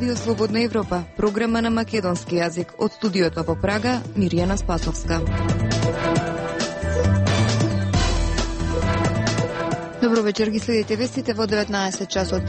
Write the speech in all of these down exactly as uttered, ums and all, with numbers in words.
Радио Слободна Европа, програма на македонски јазик. Од студиото во Прага, Мирјана Спасовска. Добро вечер, ги следите вестите во деветнаесет часот.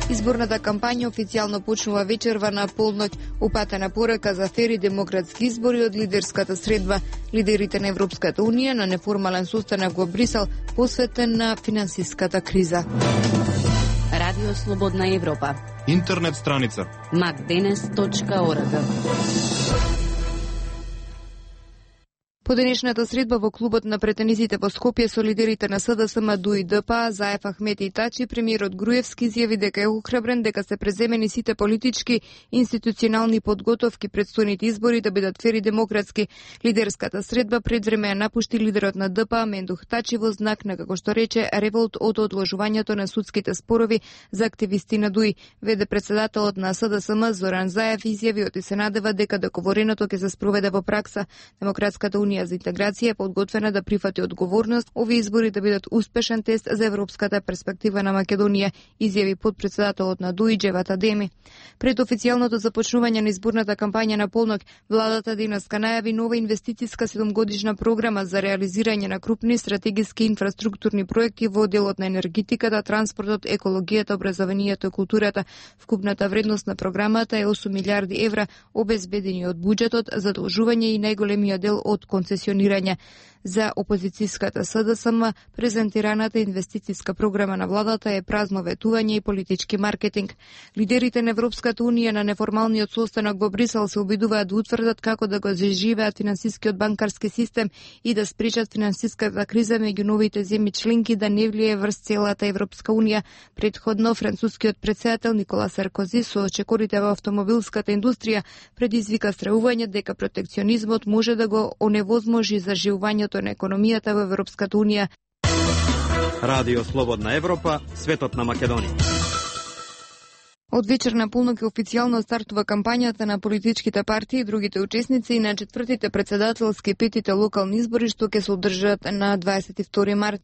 Изборната кампања официјално почнува вечерва на полноќ. Упатена порека за фери демократски избори од лидерската средба. Лидерите на Европската Унија на неформален состанок во Брисел посветен на финансиската криза. Радио Слободна Европа. Интернет страница макденес точка орг. По денешната средба во клубот на претенизите во Скопје со лидерите на СДСМ, ДУ и ДПА, Заев, Ахмети и Тачи, премиерот Груевски изјави дека е охрабрен дека се преземени сите политички институционални подготовки предстојните избори да бидат фери демократски. Лидерската средба пред време ја напушти лидерот на ДПА Мендух Тачи во знак на, како што рече, револт од одложувањето на судските спорови за активисти на ДУИ. Веде председателот на СДСМ Зоран Заев изјави и се надева дека договореното ќе се спроведе во пракса. Демократската унија за интеграција е подготвена да прифати одговорност овие избори да бидат успешен тест за европската перспектива на Македонија, изјави подпредседателот на ДУИ Џеват Адеми. Пред официјалното започнување на изборната кампања на полноќ, владата денеска најави нова инвестициска седумгодишна програма за реализирање на крупни стратегиски инфраструктурни проекти во делот на енергетиката, транспортот, екологијата, образованието и културата. Вкупната вредност на програмата е осум милиарди евра, обезбедени од буџетот, задолжување и најголемиот дел од концесионирање. За опозицијската СДСМ, презентираната инвестициска програма на владата е празно ветување и политички маркетинг. Лидерите на Европската Унија на неформалниот состанок во Брисел се обидуваат да утврдат како да го заживеат финансискиот банкарски систем и да спречат финансиската криза меѓу новите земји членки да не влие врз целата Европска Унија. Предходно, францускиот председател Никола Саркози со чекорите во автомобилската индустрија предизвика стравување дека протекционизмот може да го оневозможи заживувањето на економијата во Европската Унија. Радио Слободна Европа, светот на Македонија. Од вечер на полноќ официјално стартува кампањата на политичките партии и другите учесници и на четвртите председателски петите локални избори што ќе се одржат на дваесет и втори март.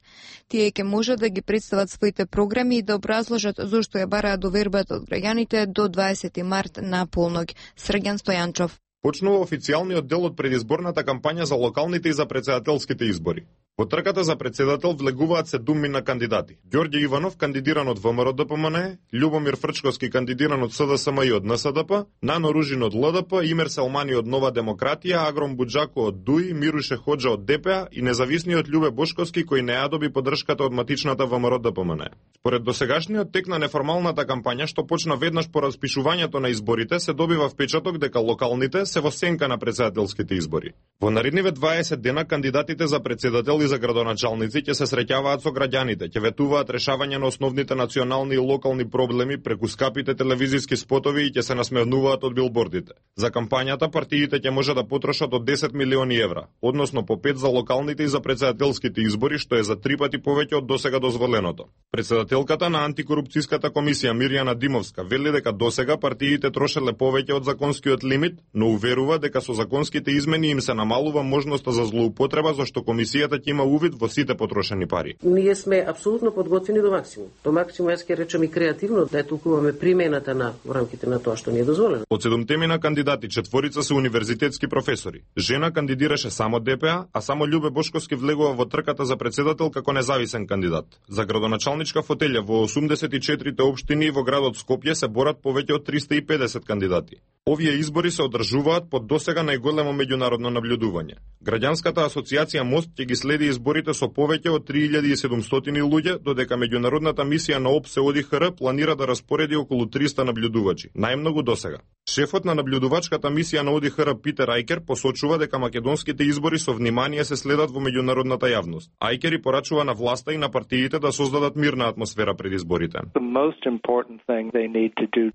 Тие ќе можат да ги представат своите програми и да образложат зошто ја бараат довербата од граѓаните до дваесети март на полноќ. Срѓан Стојанчов. Почнува официјалниот дел од предизборната кампања за локалните и за председателските избори. Во трката за председател влегуваат седумина кандидати. Ѓорѓе Иванов, кандидиран од ВМРО Д П М Н, Љубомир Фрчковски, кандидиран од СДСМ и од Н С Д П, Нано Ружин од Л Д П, Имер Селмани од Нова демократија, Агром Буџако од ДУИ, Мируше Хоџа од Д П А и независниот Љубе Бошковски кој не ја доби поддршката од матичната ВМРО Д П М Н. Според досегашниот тек на неформалната кампања што почна веднаш по распишувањето на изборите, се добива впечаток дека локалните се во сенка на председателските избори. Во наредниве дваесет дена кандидатите за председател и за градоначалници ќе се среќаваат со граѓаните, ќе ветуваат решавање на основните национални и локални проблеми преку скапите телевизиски спотови и ќе се насмевнуваат од билбордите. За кампањата партиите ќе може да потрошат од десет милиони евра, односно по пет за локалните и за председателските избори, што е за три пати повеќе од досега дозволеното. Председателката на антикорупцијската комисија Мирјана Димовска вели дека досега партиите трошеле повеќе од законскиот лимит, но уверува дека со законските измени им се намалува можноста за злоупотреба, зашто комисијата ќе има увид во сите потрошени пари. Ние сме апсолутно подготвени до максимум. До максимум, јас ќе речем и креативно, да ја толкуваме примената на во рамките на тоа што ни е дозволено. Од седумтемина кандидати, четворица се универзитетски професори. Жена кандидираше само Д П А, а само Љубе Бошковски влегува во трката за председател како независен кандидат. За градоначалничка фотелја во осумдесет и четирите општини во градот Скопје се борат повеќе од триста и педесет кандидати. Овие избори се одржуваат под досега најголемо меѓународно наблюдување. Граѓанската асоциација Мост ќе ги следи изборите со повеќе од три илјади и седумстотини луѓе, додека меѓународната мисија на О Б С Е О Д И Х Р планира да распореди околу триста наблюдувачи, најмногу досега. Шефот на наблюдувачката мисија на О Д И Х Р Питер Ајкер посочува дека македонските избори со внимание се следат во меѓународната јавност. Ајкер и порачува на власта и на партиите да создадат мирна атмосфера пред изборите.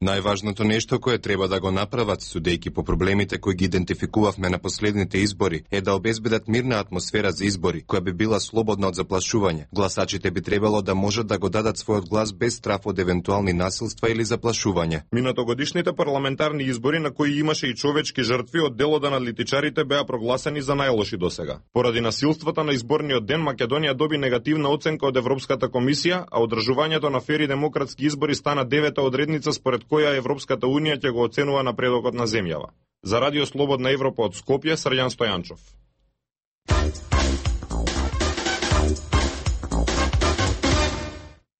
Најважното нешто кое треба да го направат, судејќи по проблемите кои ги идентификувавме на последните избори, е да обезбедат мирна атмосфера за избори, која би била слободна од заплашување. Гласачите би требало да можат да го дадат својот глас без страф од евентуални насилства или заплашување. Минатогодишните парламентарни фалшифицирани избори на кои имаше и човечки жртви од дел од аналитичарите беа прогласени за најлоши досега. Поради насилствата на изборниот ден Македонија доби негативна оценка од Европската комисија, а одржувањето на фер и демократски избори стана девета одредница според која Европската унија ќе го оценува напредокот на земјава. За Радио Слободна Европа од Скопје, Срđan Стојанчов.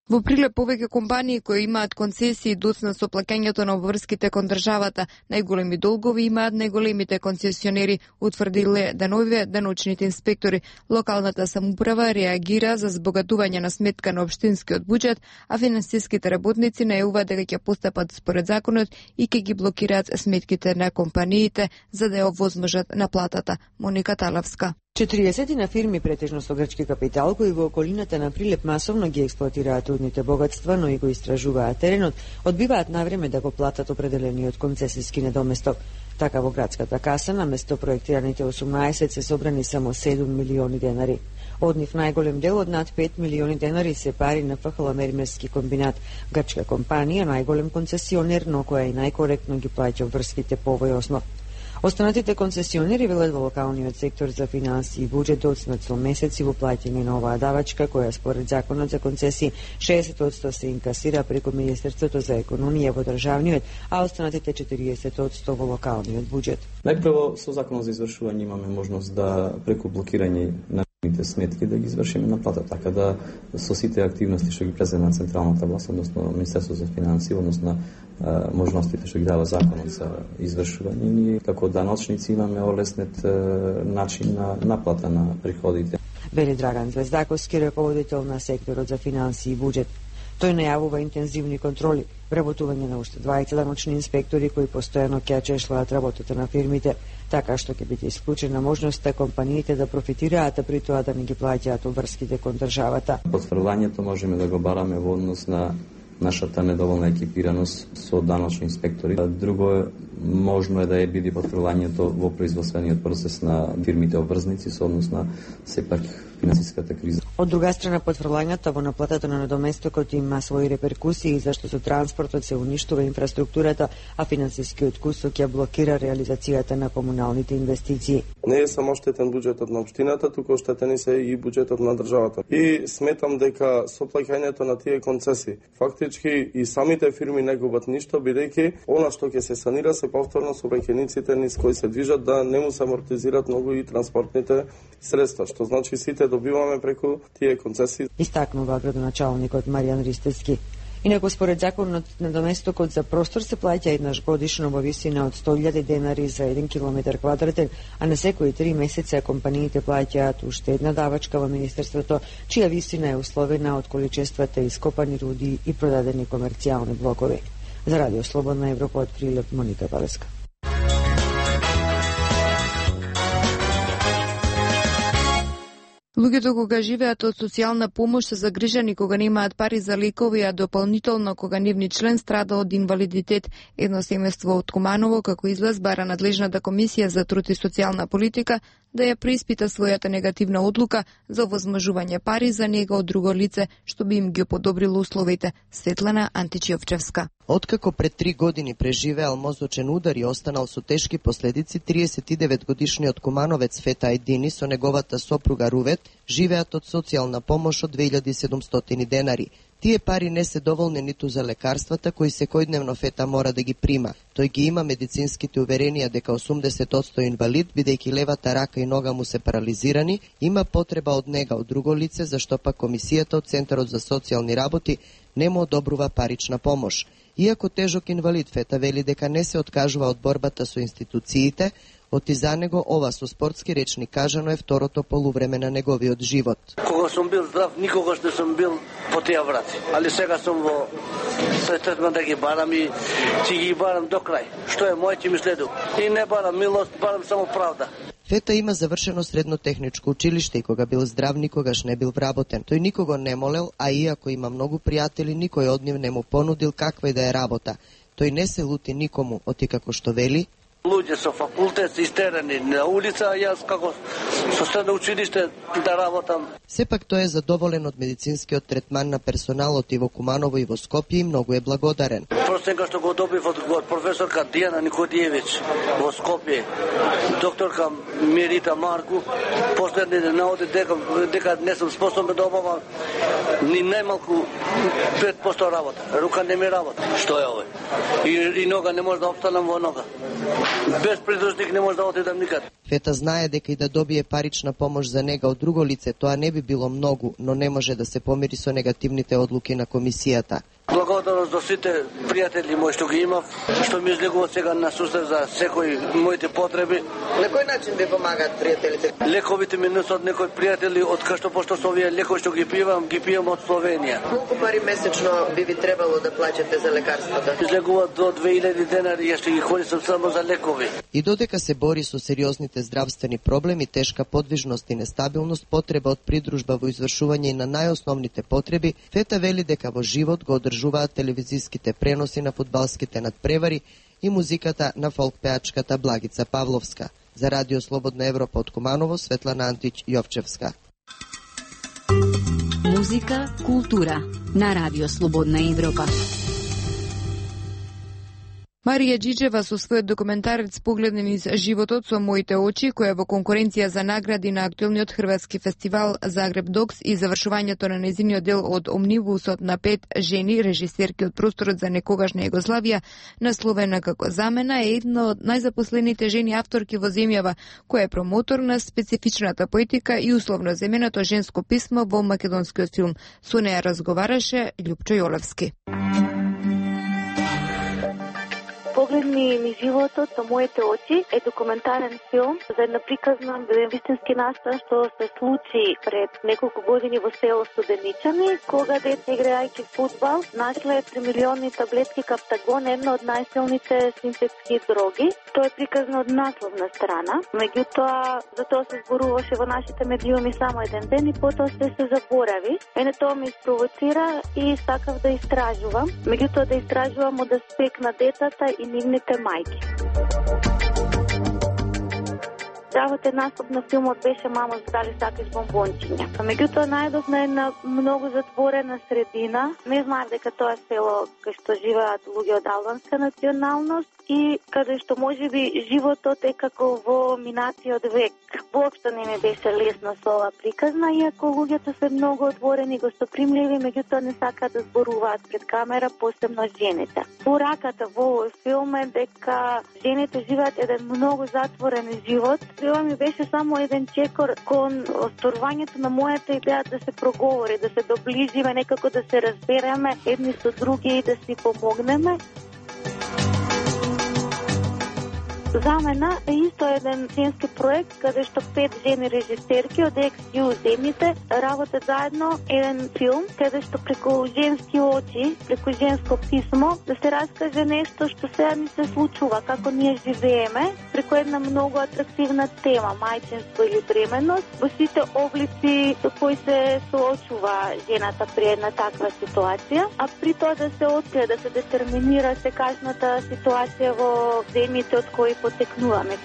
Во прилеп повеќе компании кои имаат концесии доцна со плаќањето на обврските кон државата. Најголеми долгови имаат најголемите концесионери, утврдиле деновиве деночните инспектори. Локалната самоуправа реагира за збогатување на сметка на општинскиот буџет, а финансиските работници најавуваат дека ќе постапат според законот и ќе ги блокираат сметките на компаниите за да ја овозможат наплатата. Моника Талавска. четириесет на фирми претежно со грчки капитал кои во околината на Прилеп масовно ги експлоатираат рудните богатства, но и го истражуваат теренот, одбиваат навреме да го платат определениот концесиски недоместок. Така во градската каса на место проектираните осумнаесет се собрани само седум милиони денари. Од нив најголем дел од над пет милиони денари се пари на ФХЛ Мермерски комбинат, грчка компанија, најголем концесионер, но која и најкоректно ги плаќа врските по овој основ. Останатите концесионери велат во локалниот сектор за финансии и буџет доцнат со месеци во плаќање на оваа давачка, која според законот за концесии шеесет одсто се инкасира преку Министерството за економија во државниот, а останатите четириесет одсто во локалниот буџет. Најпрво со законот за извршување имаме можност да преку блокирање на сметки да ги извршиме наплата, така да со сите активности што ги презема централната власт, односно Министерството за финансии, односно можностите што ги дава законот за извршување, ние како даночници имаме олеснет начин на наплата на приходите. Вели Драган Звездаковски, раководител на секторот за финансии и буџет. Тој најавува интензивни контроли, вработување на уште дваесет даночни инспектори кои постојано ќе чешлаат работата на фирмите, така што ќе биде исклучена можноста компаниите да профитираат, а при тоа да не ги плаќаат обврските кон државата. Потврдувањето можеме да го бараме во однос на нашата недоволна екипираност со даночни инспектори. Друго, можно е да е биде потврдувањето во производствениот процес на фирмите обврзници со однос на сепак финансиската криза. Од друга страна, потврдувањата во наплатата на недоместокот има своји реперкусии, зашто со транспортот се уништува инфраструктурата, а финансискиот кусок ја блокира реализацијата на комуналните инвестиции. Не е само штетен буџетот на општината, туку штетени се и буџетот на државата. И сметам дека со плаќањето на тие концесии, фактички и самите фирми не губат ништо, бидејќи она што ќе се санира се повторно сообраќајниците низ кои се движат да не му се амортизираат многу и транспортните средства, што значи сите добиваме преку тие концесии. Истакнува градоначалникот Маријан Ристевски. Инаку според законот недоместокот за простор се плаќа еднаш годишно во висина од сто илјади денари за еден километар квадратен, а на секои три месеца компаниите плаќаат уште една давачка во Министерството, чија висина е условена од количествата ископани руди и продадени комерцијални блокови. За Радио Слободна Европа од Прилеп, Моника Талавска. Луѓето кога живеат од социјална помош се загрижени кога немаат пари за лекови, а дополнително кога нивни член страда од инвалидитет. Едно семејство од Куманово, како излаз, бара надлежната комисија за труд и социјална политика да ја преиспита својата негативна одлука за овозможување пари за него од друго лице, што би им ги подобрило условите. Светлана Античиовчевска. Откако пред три години преживеал мозочен удар и останал со тешки последици, триесет и девет годишниот кумановец Фета Ајдини со неговата сопруга Рувет живеат од социјална помош од две илјади и седумстотини денари. Тие пари не се доволни ниту за лекарствата кои секојдневно Фета мора да ги прима. Тој ги има медицинските уверенија дека осумдесет одсто инвалид, бидејќи левата рака и нога му се парализирани, има потреба од нега од друго лице, зашто пак комисијата од Центарот за социјални работи не му одобрува парична помош. Иако тежок инвалид, Фета вели дека не се откажува од борбата со институциите, оти за него ова со спортски речни кажано е второто полувреме на неговиот живот. Кога сум бил здрав, никогаш не сум бил по тие врати. Али сега сум во третман да ги барам и ќе ги барам до крај. Што е мој, ќе ми следу. И не барам милост, барам само правда. Фета има завршено средно техничко училиште и кога бил здрав никогаш не бил вработен. Тој никого не молел, а иако има многу пријатели, никој од нив не му понудил каква и да е работа. Тој не се лути никому, оти како што вели, Луѓе со факултет истерани на улица, јас како со средно училиште да работам. Сепак тој е задоволен од медицинскиот третман на персоналот и во Куманово и во Скопје и многу е благодарен. Простенка што го добив од, од професорка Дијана Никодиевич во Скопје, докторка Мерита Марку, последни наоди дека, дека не сум способен да обавам ни најмалку пет проценти работа. Рука не ми работа. Што е овој? И, и нога не може да опстанам во нога. Без придружник не може да отидам никаде. Фета знае дека и да добие парична помош за нега од друго лице, тоа не би било многу, но не може да се помири со негативните одлуки на комисијата. Благодарност до сите пријатели мои што ги имав, што ми излегуваат сега на сустав за секој моите потреби. На кој начин ви помагаат пријателите? Лековите ми носат некои пријатели, од кај што пошто со овие лекови што ги пивам, ги пијам од Словенија. Колку пари месечно би ви требало да плаќате за лекарствата? Излегуваат до две илјади денари, јас ќе ги корistам само за лекови. И додека се бори со сериозните здравствени проблеми, тешка подвижност и нестабилност, потреба од придружба во извршување на најосновните потреби, Фета вели дека во живот го одржуваат телевизиските преноси на фудбалските надпревари и музиката на фолк пеачката Благица Павловска. За Радио Слободна Европа од Куманово, Светлана Антич Јовчевска. Музика, култура на Радио Слободна Европа. Марија Џиџева со својот документарец Погледни низ животот со моите очи, која е во конкуренција за награди на актуелниот хрватски фестивал Загреб Докс и завршувањето на нејзиниот дел од омнибусот на пет жени, режисерки од просторот за некогашна Југославија, насловена како Замена, е една од најзапослените жени авторки во земјава, која е промотор на специфичната поетика и условно земеното женско писмо во македонскиот филм. Со неја разговараше Љупчо Јолевски. Погледни ми животот со моите очи е документарен филм за една приказна вистински настан што се случи пред неколку години во село Студеничани, кога деца играјќи фудбал нашле три милиони таблетки Каптагон, една од најсилните синтетски дроги. Тоа е приказна од насловна страна, меѓутоа за тоа се зборуваше во нашите медиуми само еден ден и потоа се се заборави. Мене тоа ме испровоцира и сакав да истражувам, меѓутоа да истражувам од аспект на децата и нивните мајки. Здравата наслов на филмот беше "Мамо, дали сакаш бомбончиња". Меѓутоа најдов на една многу затворена средина. Не знаев дека тоа село кај што живеат луѓе од албанска националност и каде што можеби животот е како во минатиот век. Воопшто не ми беше лесно со ова приказна, иако луѓето се многу отворени и гостопримливи, меѓутоа не сакаат да зборуваат пред камера, посебно жените. Пораката во овој филм е дека жените живеат еден многу затворен живот. Тоа ми беше само еден чекор кон остварувањето на мојата идеја да се проговори, да се доближиме, некако да се разбереме едни со други и да си помогнеме. Замена е исто еден женски проект каде што пет жени режисерки од екс-ю земјите работат заедно еден филм каде што преку женски очи, преку женско писмо да се раскаже нешто што сега ни се случува, како ние живееме, преку една многу атрактивна тема, мајчинство или бременност, во сите облици со кои се соочува жената при една таква ситуација, а при тоа да се открие, да се детерминира секашната ситуација во земјите од кои потекнуваме.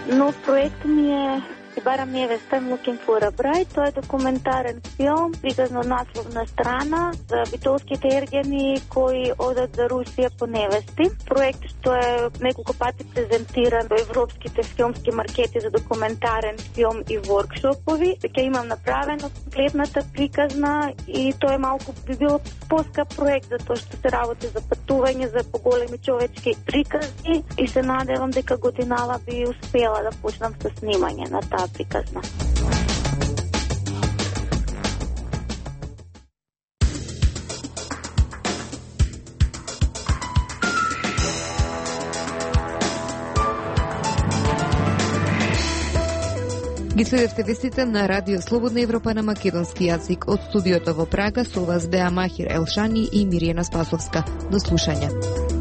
Но проект ми е и барам невеста, I'm looking for a bride. Тоа е документарен филм, приказно насловна страна за битолските ергени кои одат за Русија по невести. Проект што е неколку пати презентиран во европските филмски маркети за документарен филм и воркшопови. Дека имам направено комплетната приказна и тоа е малку би било поскап проект затоа што се работи за патување, за поголеми човечки приказни и се надевам дека годинава би успела да почнам со снимање на таа приказна. Ги следевте вестите на Радио Слободна Европа на македонски јазик. Од студиото во Прага со вас беа Махир Елшани и Мириена Спасовска. До слушање.